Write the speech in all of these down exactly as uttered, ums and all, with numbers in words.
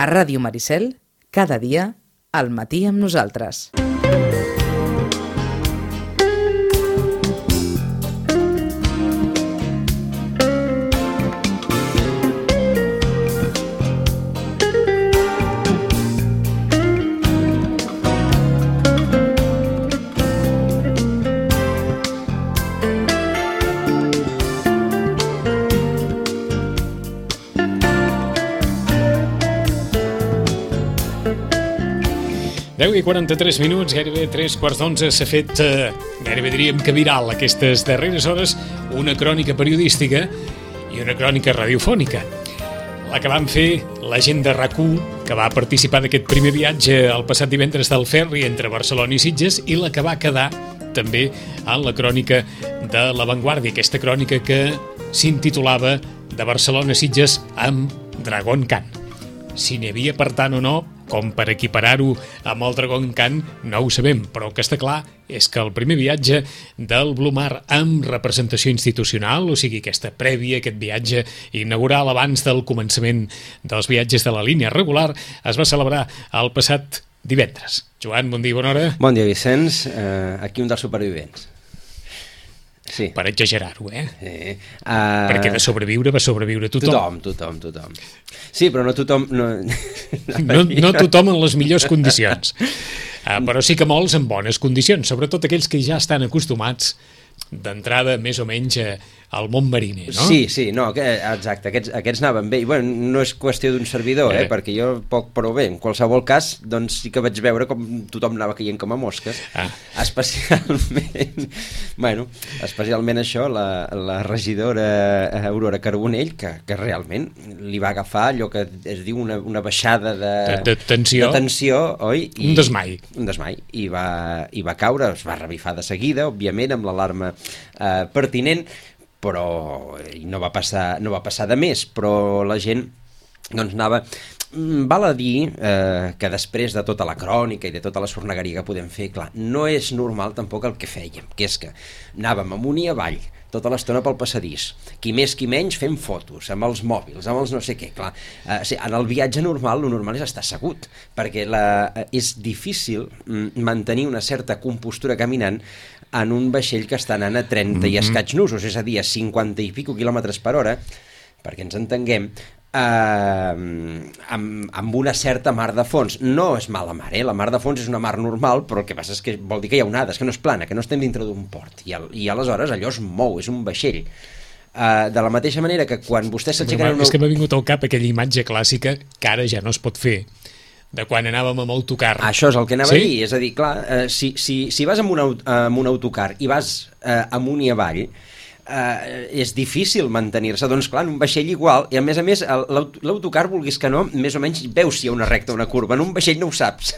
A Ràdio Maricel, cada dia, al matí amb nosaltres. deu i quaranta-tres minuts, gairebé tres quarts d'onze, s'ha fet, eh, gairebé diríem que viral aquestes darreres hores, una crònica periodística i una crònica radiofònica. La que van fer la gent de RAC u, que va participar d'aquest primer viatge el passat divendres del ferri entre Barcelona i Sitges, i la que va quedar també en la crònica de La Vanguardia, aquesta crònica que s'intitulava De Barcelona a Sitges amb Dragon Khan. Si n'hi havia per tant o no, com per equiparar-ho amb el Dragon Khan, no ho sabem, però el que està clar és que el primer viatge del Blue Mar amb representació institucional, o sigui, aquesta prèvia, aquest viatge inaugural abans del començament dels viatges de la línia regular, es va celebrar el passat divendres. Joan, bon dia, bona hora. Bon dia, Vicenç. Uh, aquí un dels supervivents. Sí. Per exagerar-ho, eh? Sí. Uh... Perquè de sobreviure va sobreviure tothom. Tothom, tothom, tothom. Sí, però no tothom... No, no, no tothom en les millors condicions. Uh, però sí que molts en bones condicions, sobretot aquells que ja estan acostumats d'entrada més o menys al món mariner, no? Sí, sí, no, que, exacte, aquests, aquests anaven bé, i bueno, no és qüestió d'un servidor, eh, eh, perquè jo poc però bé, en qualsevol cas, doncs sí que vaig veure com tothom anava caient com a mosques, ah. especialment, bueno, especialment això, la, la regidora Aurora Carbonell, que, que realment li va agafar allò que es diu una, una baixada de, de, de tensió, de tensió, oi? I, un desmai. Un desmai, i va, i va caure, es va revifar de seguida, òbviament, amb l'alarma eh, pertinent, però no va passar, no va passar de més, però la gent doncs anava... Val a dir eh, que després de tota la crònica i de tota la sornegueria que podem fer, clar, no és normal tampoc el que fèiem, que és que anàvem amunt i avall tota l'estona pel passadís, qui més qui menys fent fotos, amb els mòbils, amb els no sé què, clar. Eh, sí, en el viatge normal, el normal és estar assegut, perquè la, és difícil mantenir una certa compostura caminant en un vaixell que està anant a trenta mm-hmm. i escaig nusos, és a dir, a cinquanta i pico quilòmetres per hora, perquè ens entenguem, eh, amb, amb una certa mar de fons. No és mala mar, eh? La mar de fons és una mar normal, però el que passa és que vol dir que hi ha onades, que no és plana, que no estem dintre d'un port, i, al, i aleshores allò es mou, és un vaixell. Uh, de la mateixa manera que quan vostès s'aixequen... És que m'ha vingut al cap aquella imatge clàssica que ara ja no es pot fer, de quan anàvem amb autocar. Això és el que anava sí? a dir, és a dir, clar, eh, si, si, si vas amb un, amb un autocar i vas eh, amunt i avall, eh, és difícil mantenir-se, doncs clar, en un vaixell igual, i a més a més l'autocar, vulguis que no, més o menys veus si hi ha una recta o una curva, en un vaixell no ho saps,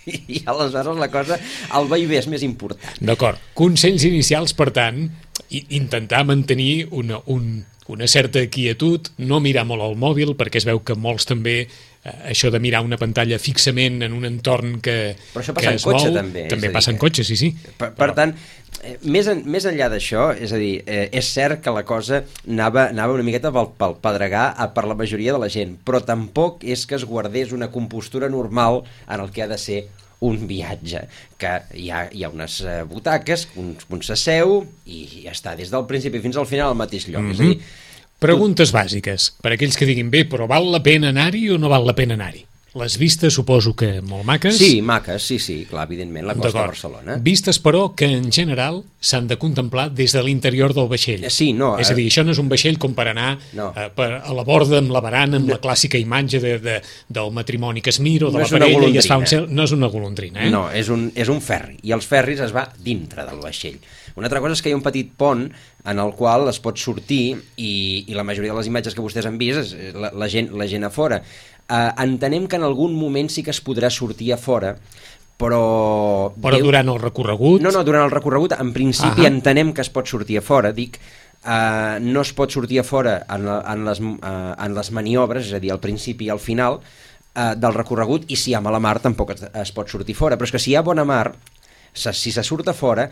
i aleshores la cosa, el vaivé és més important. D'acord, consells inicials, per tant, intentar mantenir una, un, una certa quietud, no mirar molt al mòbil, perquè es veu que molts també això de mirar una pantalla fixament en un entorn que, però això que passa es en cotxe, mou, també. També passa en cotxe, sí, sí. Per, per tant, eh, més, en, més enllà d'això, és a dir, eh, és cert que la cosa anava, anava una miqueta pel, pel pedregar per la majoria de la gent, però tampoc és que es guardés una compostura normal en el que ha de ser un viatge, que hi ha, hi ha unes eh, butaques, un, un s'asseu i ja està, des del principi fins al final al mateix lloc, mm-hmm. és a dir, preguntes bàsiques, per aquells que diguin, bé, però val la pena anar-hi o no val la pena anar-hi? Les vistes suposo que molt maques? Sí, maques, sí, sí, clar, evidentment, la costa de Barcelona. Vistes, però, que en general s'han de contemplar des de l'interior del vaixell. Sí, no. És a dir, això no és un vaixell com per anar no. eh, per, a la borda amb la barana, amb no. la clàssica imatge de, de, del matrimoni que es mira o de no la parella i es fa un cel... No és una golondrina, eh? No, és un, és un ferri, i els ferris es va dintre del vaixell. Una altra cosa és que hi ha un petit pont en el qual es pot sortir i, i la majoria de les imatges que vostès han vist és la, la, gent, la gent a fora. Uh, entenem que en algun moment sí que es podrà sortir a fora, però... Però durant el recorregut? No, no, durant el recorregut en principi ah entenem que es pot sortir a fora, dic, uh, no es pot sortir a fora en, en, les, uh, en les maniobres, és a dir, al principi i al final uh, del recorregut, i si hi ha mala mar tampoc es, es pot sortir fora, però és que si hi ha bona mar, si se surt a fora,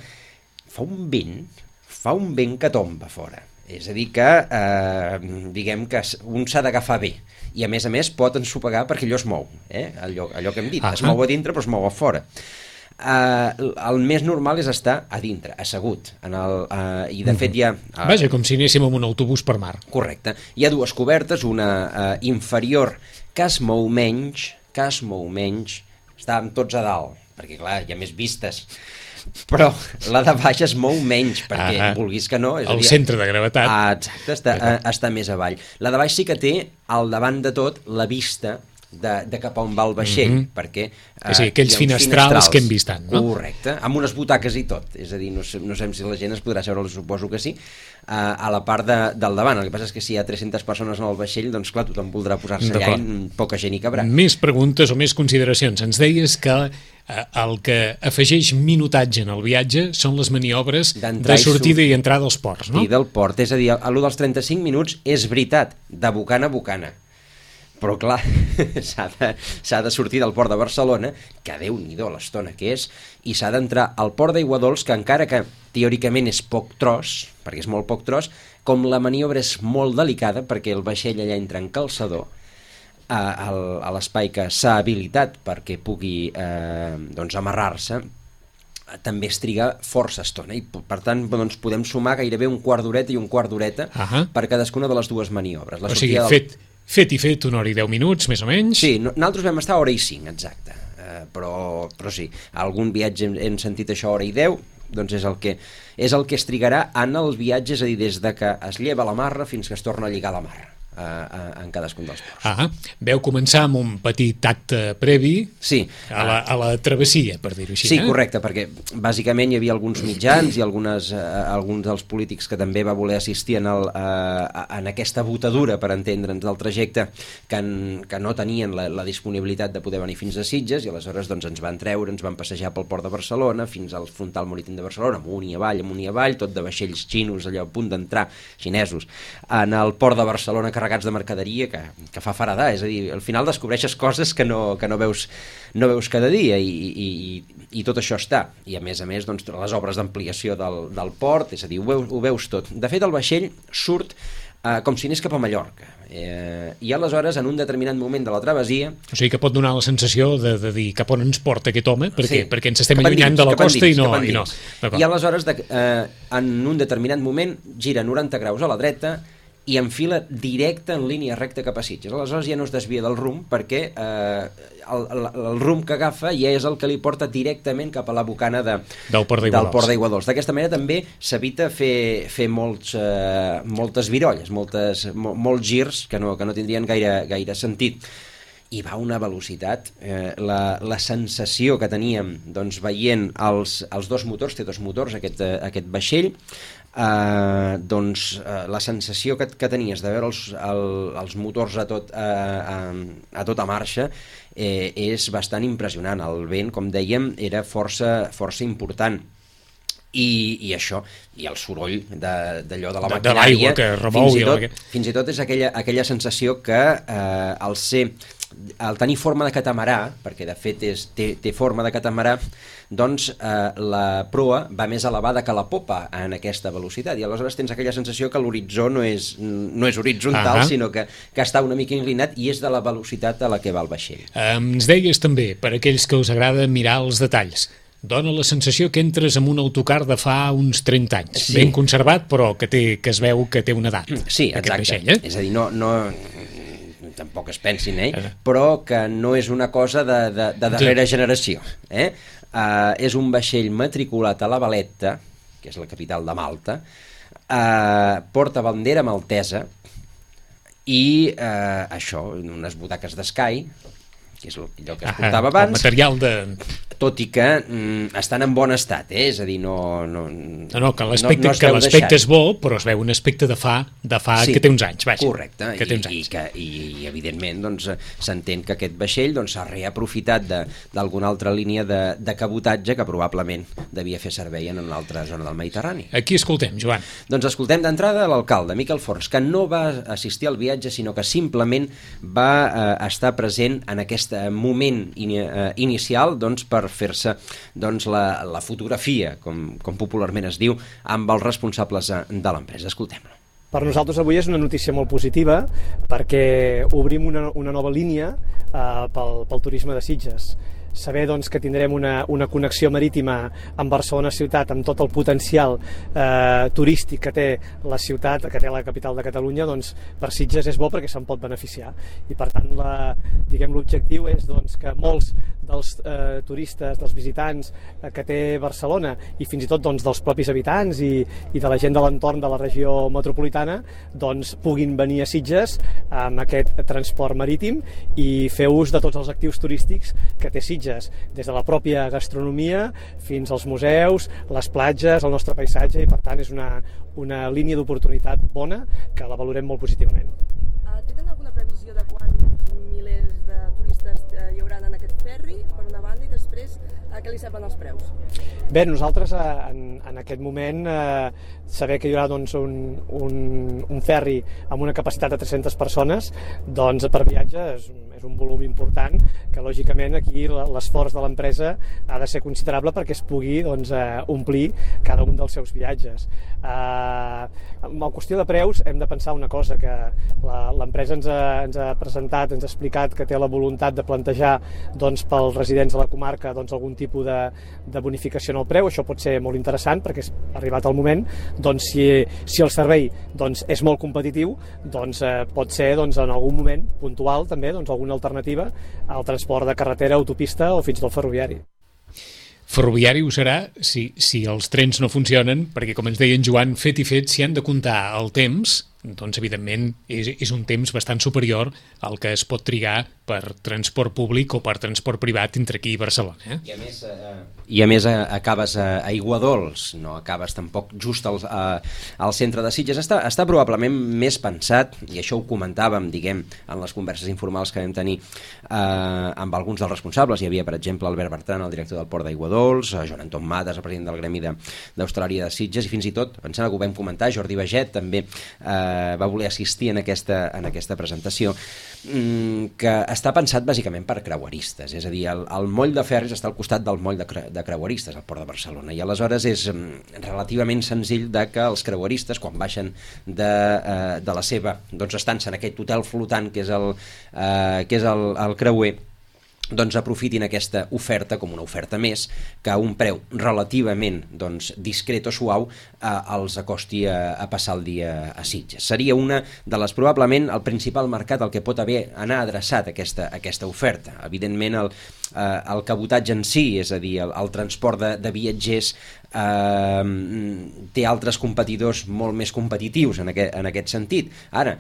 fa un vent, fa un vent que tomba fora. És a dir que, eh, diguem que un s'ha d'agafar bé i a més a més pot ensopegar perquè allò es mou, eh? allò, allò que hem dit, ah, es mou a dintre però es mou a fora. Uh, el més normal és estar a dintre, assegut en el, uh, i de fet hi ha uh, vaja, com si anéssim amb un autobús per mar. Correcte, hi ha dues cobertes, una uh, inferior que es mou menys que es mou menys, estàvem tots a dalt perquè clar, hi ha més vistes, però la de baix es mou menys perquè ah, vulguis que no és el dir, centre de gravetat ah, exacte, està, uh, està més avall. La de baix sí que té al davant de tot la vista De, de cap on va el vaixell, mm-hmm. perquè eh, sí, aquells finestrals, finestrals que hem vist tant, no? Correcte, amb unes butaques i tot, és a dir, no sé, no sé si la gent es podrà seure, suposo que sí, eh, a la part de, del davant. El que passa és que si hi ha tres-centes persones en el vaixell, doncs clar, tothom voldrà posar-se allà i poca gent hi cabrà. Més preguntes o més consideracions. Ens deies que eh, el que afegeix minutatge en el viatge són les maniobres de sortida i entrada als ports, no? I del port, és a dir, a l'u dels trenta-cinc minuts és veritat, de bocana a bocana. Però clar, s'ha de, s'ha de sortir del port de Barcelona, que Déu-n'hi-do l'estona que és, i s'ha d'entrar al port d'Aiguadols, que encara que teòricament és poc tros, perquè és molt poc tros, com la maniobra és molt delicada, perquè el vaixell allà entra en calçador, a, a l'espai que s'ha habilitat perquè pugui eh, doncs amarrar-se, també es triga força estona i per tant doncs, podem sumar gairebé un quart d'horeta i un quart d'horeta uh-huh. per cadascuna de les dues maniobres. La o sigui, del... fet... Fet i fet, una hora i deu minuts, més o menys? Sí, nosaltres vam estar a hora i cinc, exacte. Uh, però, però sí, algun viatge hem, hem sentit això a hora i deu, doncs és el que és el que es trigarà en el viatge, és a dir, des de que es lleva la marra fins que es torna a lligar la marra. Uh, en cadascun dels ports. Ah, veu començar amb un petit acte previ sí. a, la, a la travessia, per dir-ho així. Sí, eh? correcte, perquè bàsicament hi havia alguns mitjans i algunes, uh, alguns dels polítics que també va voler assistir en, el, uh, en aquesta botadura, per entendre'ns, del trajecte, que, en, que no tenien la, la disponibilitat de poder venir fins a Sitges i aleshores doncs, ens van treure, ens van passejar pel port de Barcelona fins al frontal marítim de Barcelona, amunt i avall, amunt i avall, tot de vaixells xinos allà a punt d'entrar, xinesos, en el port de Barcelona carregats de mercaderia que, que fa faradar, és a dir, al final descobreixes coses que no, que no, veus, no veus cada dia i, i, i, i tot això està. I a més a més, doncs, les obres d'ampliació del, del port, és a dir, ho veus, ho veus tot. De fet, el vaixell surt eh, com si anés cap a Mallorca. Eh, I aleshores, en un determinat moment de la travessia... O sigui que pot donar la sensació de, de dir cap on ens porta aquest home, perquè, sí, perquè ens estem allunyant de la costa dins, i no... I, no. I aleshores, de, eh, en un determinat moment, gira noranta graus a la dreta i enfila directe en línia recta cap a Sitges. Aleshores ja no es desvia del rumb perquè eh, el, el, el rumb que agafa ja és el que li porta directament cap a la bocana de, del Port d'Aiguadols. D'aquesta manera també s'evita fer, fer molts, eh, moltes virolles, moltes, mo, molts girs que no, que no tindrien gaire, gaire sentit. I va a una velocitat, eh, la, la sensació que teníem doncs, veient els, els dos motors, té dos motors aquest, aquest vaixell, eh, doncs eh, la sensació que, que tenies de veure els, el, els motors a, tot, eh, a, a tota marxa eh, és bastant impressionant. El vent, com dèiem, era força, força important. I, i això, i el soroll d'allò de, de la maquinària, que remou, fins, i tot, fins i tot és aquella, aquella sensació que eh, al ser al tenir forma de catamarà, perquè de fet és, té, té forma de catamarà, doncs eh, la proa va més elevada que la popa en aquesta velocitat, i aleshores tens aquella sensació que l'horitzó no és, no és horitzontal, uh-huh. sinó que, que està una mica inclinat i és de la velocitat a la que va el vaixell. Um, ens deies també, per aquells que us agrada mirar els detalls, dona la sensació que entres en un autocar de fa uns trenta anys, sí. ben conservat, però que, té, que es veu que té una edat. Sí, exacte. Vaixell, eh? És a dir, no... no tampoc es pensin, eh? Però que no és una cosa de, de, de darrera generació. Eh? Uh, és un vaixell matriculat a la Valetta, que és la capital de Malta, uh, porta bandera maltesa i uh, això, unes butaques d'Sky, que és allò que es portava abans, el material de... tot i que mm, estan en bon estat, eh? És a dir, no... No, no, no que l'aspecte no, no l'aspecte és bo, però es veu un aspecte de fa, de fa sí, que té uns anys, vaja. Correcte, que i, té uns anys. I, que, i, i evidentment doncs, s'entén que aquest vaixell doncs, s'ha reaprofitat d'alguna altra línia de, de cabotatge que probablement devia fer servei en una altra zona del Mediterrani. Aquí escoltem, Joan. Doncs escoltem d'entrada l'alcalde, Miquel Forns, que no va assistir al viatge, sinó que simplement va eh, estar present en aquest moment in, eh, inicial doncs, per fer-se doncs, la, la fotografia, com, com popularment es diu, amb els responsables de l'empresa. Escoltem-lo. Per nosaltres avui és una notícia molt positiva perquè obrim una, una nova línia eh, pel, pel turisme de Sitges. Saber doncs, que tindrem una, una connexió marítima amb Barcelona ciutat, amb tot el potencial eh, turístic que té la ciutat, que té la capital de Catalunya, doncs per Sitges és bo perquè se'n pot beneficiar. I per tant, la, diguem, l'objectiu és doncs, que molts dels eh, turistes, dels visitants eh, que té Barcelona i fins i tot doncs, dels propis habitants i, i de la gent de l'entorn de la regió metropolitana doncs, puguin venir a Sitges amb aquest transport marítim i fer ús de tots els actius turístics que té Sitges, des de la pròpia gastronomia fins als museus, les platges, el nostre paisatge, i per tant és una, una línia d'oportunitat bona que la valorem molt positivament. Uh, tenen alguna previsió de quants milers de turistes uh, hi haurà en aquest ferri, per una banda, i després uh, què li semblen els preus? Bé, nosaltres en, en aquest moment eh, saber que hi haurà doncs, un, un, un ferri amb una capacitat de tres-centes persones doncs, per viatge és, és un volum important que lògicament aquí l'esforç de l'empresa ha de ser considerable perquè es pugui doncs, eh, omplir cada un dels seus viatges. Eh, en la qüestió de preus hem de pensar una cosa, que l'empresa ens, ens ha presentat, ens ha explicat que té la voluntat de plantejar doncs, pels residents de la comarca doncs, algun tipus de, de bonificació en el preu. Això pot ser molt interessant perquè és arribat el moment, doncs, si, si el servei doncs, és molt competitiu, doncs, eh, pot ser doncs, en algun moment puntual també doncs, alguna alternativa al transport de carretera, autopista o fins i tot ferroviari. Ferroviari ho serà si, si els trens no funcionen, perquè, com ens deia en Joan, fet i fet, si han de comptar el temps, doncs, evidentment, és, és un temps bastant superior al que es pot trigar per transport públic o per transport privat entre aquí i Barcelona. Eh? I a més, eh, i a més eh, acabes a Aiguadols, no acabes tampoc just al, eh, al centre de Sitges. Està, està probablement més pensat, i això ho comentàvem, diguem, en les converses informals que vam tenir eh, amb alguns dels responsables. Hi havia, per exemple, Albert Bertran, el director del Port d'Aiguadols, Joan Anton Matas, el president del Gremi d'Hostaleria de, de Sitges, i fins i tot, em sembla que ho vam comentar, Jordi Baget també eh, va voler assistir en aquesta, en aquesta presentació, que està pensat bàsicament per creueristes, és a dir, el, el moll de Ferris està al costat del moll de, cre, de creueristes al Port de Barcelona, i aleshores és relativament senzill de que els creueristes, quan baixen de, eh, de la seva doncs, estança en aquest hotel flotant que és el, eh, que és el, el creuer, doncs aprofitin aquesta oferta com una oferta més que a un preu relativament doncs, discret o suau eh, els acosti a, a passar el dia a Sitges. Seria una de les, probablement, el principal mercat al que pot haver anar adreçat aquesta, aquesta oferta. Evidentment, el, eh, el cabotatge en si, és a dir, el, el transport de, de viatgers, eh, té altres competidors molt més competitius en aquest, en aquest sentit. Ara,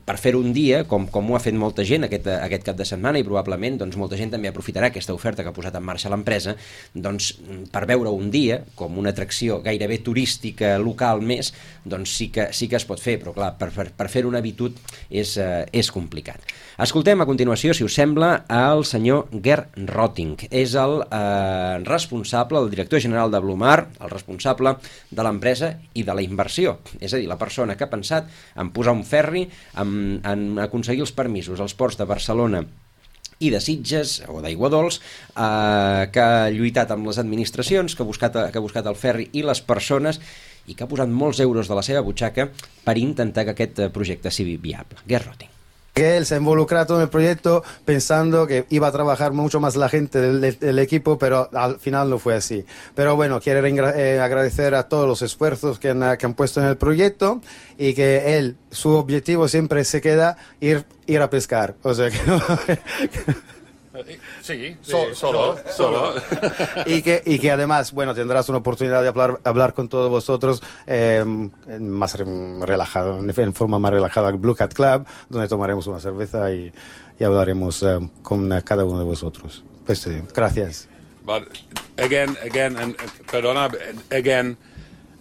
per fer-ho un dia, com, com ho ha fet molta gent aquest, aquest cap de setmana, i probablement doncs, molta gent també aprofitarà aquesta oferta que ha posat en marxa l'empresa, doncs per veure un dia com una atracció gairebé turística local més, doncs sí que, sí que es pot fer, però clar, per, per, per fer una habitud és, eh, és complicat. Escoltem a continuació, si us sembla, el senyor Gerd Rotting. És el eh, responsable, el director general de Blumar, el responsable de l'empresa i de la inversió, és a dir, la persona que ha pensat en posar un ferri, en, en aconseguir els permisos als ports de Barcelona i de Sitges, o d'Aiguadols, eh, que ha lluitat amb les administracions, que ha, buscat, que ha buscat el ferri i les persones, i que ha posat molts euros de la seva butxaca per intentar que aquest projecte sigui viable. Gerd Rotting. Él se ha involucrado en el proyecto pensando que iba a trabajar mucho más la gente del, del equipo, pero al final no fue así. Pero bueno, quiero eh, agradecer a todos los esfuerzos que han, que han puesto en el proyecto, y que él, su objetivo siempre se queda ir, ir a pescar. O sea que no... Sí, so, solo, solo. Y que, y que además, bueno, tendrás una oportunidad de hablar, hablar con todos vosotros eh, más relajado, en forma más relajada, al Blue Cat Club, donde tomaremos una cerveza y, y hablaremos eh, con cada uno de vosotros. Pues, eh, gracias. But again, again, and perdona, again,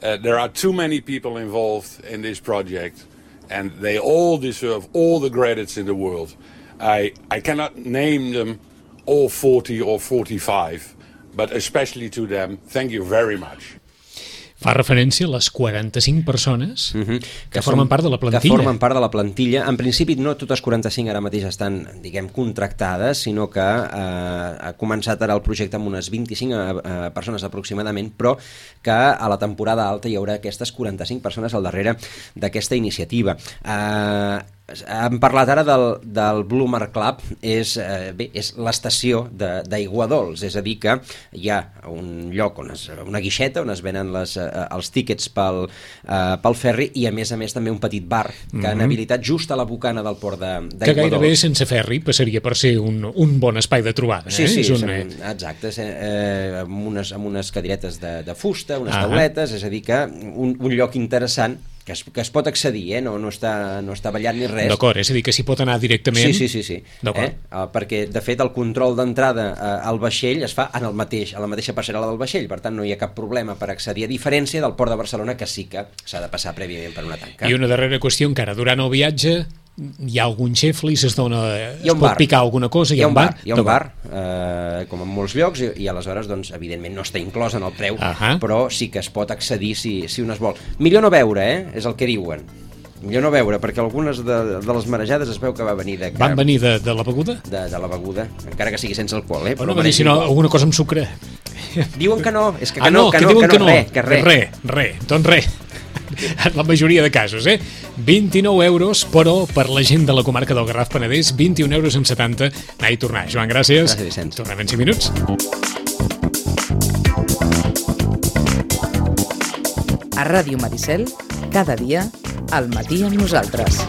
uh, there are too many people involved in this project, and they all deserve all the credits in the world. I, I cannot name them all forty or forty-five, but especially to them, thank you very much. Fa referència a les quaranta-cinc persones uh-huh. que, que formen part de la plantilla. Que formen part de la plantilla. En principi, no totes quaranta-cinc ara mateix estan, diguem, contractades, sinó que eh, ha començat ara el projecte amb unes vint-i-cinc eh, persones aproximadament, però que a la temporada alta hi haurà aquestes quaranta-cinc persones al darrere d'aquesta iniciativa. Eh, hem parlat ara del, del Blue Mark Club, és, eh, bé, és l'estació d'Aiguadols, és a dir que hi ha un lloc, on es, una guixeta on es venen les, eh, els tíquets pel, eh, pel ferri i a més a més també un petit bar que mm-hmm. han habilitat just a la bocana del port d'Aiguadols. Que gairebé sense ferri passaria per ser un, un bon espai de trobada. Sí, eh? sí, és un... són, exacte, eh, amb, unes, amb unes cadiretes de, de fusta, unes ah. tauletes, és a dir que un, un lloc interessant que es, que es pot accedir, eh? no, no, està, no està ballant ni res. D'acord, és a dir que s'hi pot anar directament. Sí, sí, sí, sí. Eh? Uh, perquè de fet el control d'entrada uh, al vaixell es fa en el mateix, a la mateixa passarel·la del vaixell, per tant no hi ha cap problema per accedir, a diferència del port de Barcelona, que sí que s'ha de passar prèviament per una tanca. I una darrera qüestió encara, durant el viatge hi ha algun xeflis, es, dona, es pot bar. picar alguna cosa, hi ha, hi ha un bar? Hi ha un bar, eh, com en molts llocs, i, i aleshores, doncs, evidentment no està inclòs en el preu, uh-huh. però sí que es pot accedir si, si un es vol. Millor no veure, eh? És el que diuen. Millor no veure, perquè algunes de, de les marejades es veu que va venir de... Que, Van venir de, de la beguda? De, de la beguda, encara que sigui sense alcohol, eh? Però no, si no, alguna cosa amb sucre. Diuen que no, és que, que ah, no, que que no, diuen que que no, no, res, que res. Res, res, doncs res. En la majoria de casos, eh? vint-i-nou euros, però per la gent de la comarca del Garraf Penedès, vint-i-un euros amb setanta, anar i tornar. Joan, gràcies. Gràcies, Vicenç. Tornem en cinc minuts. A Ràdio Maricel, cada dia, al matí amb nosaltres.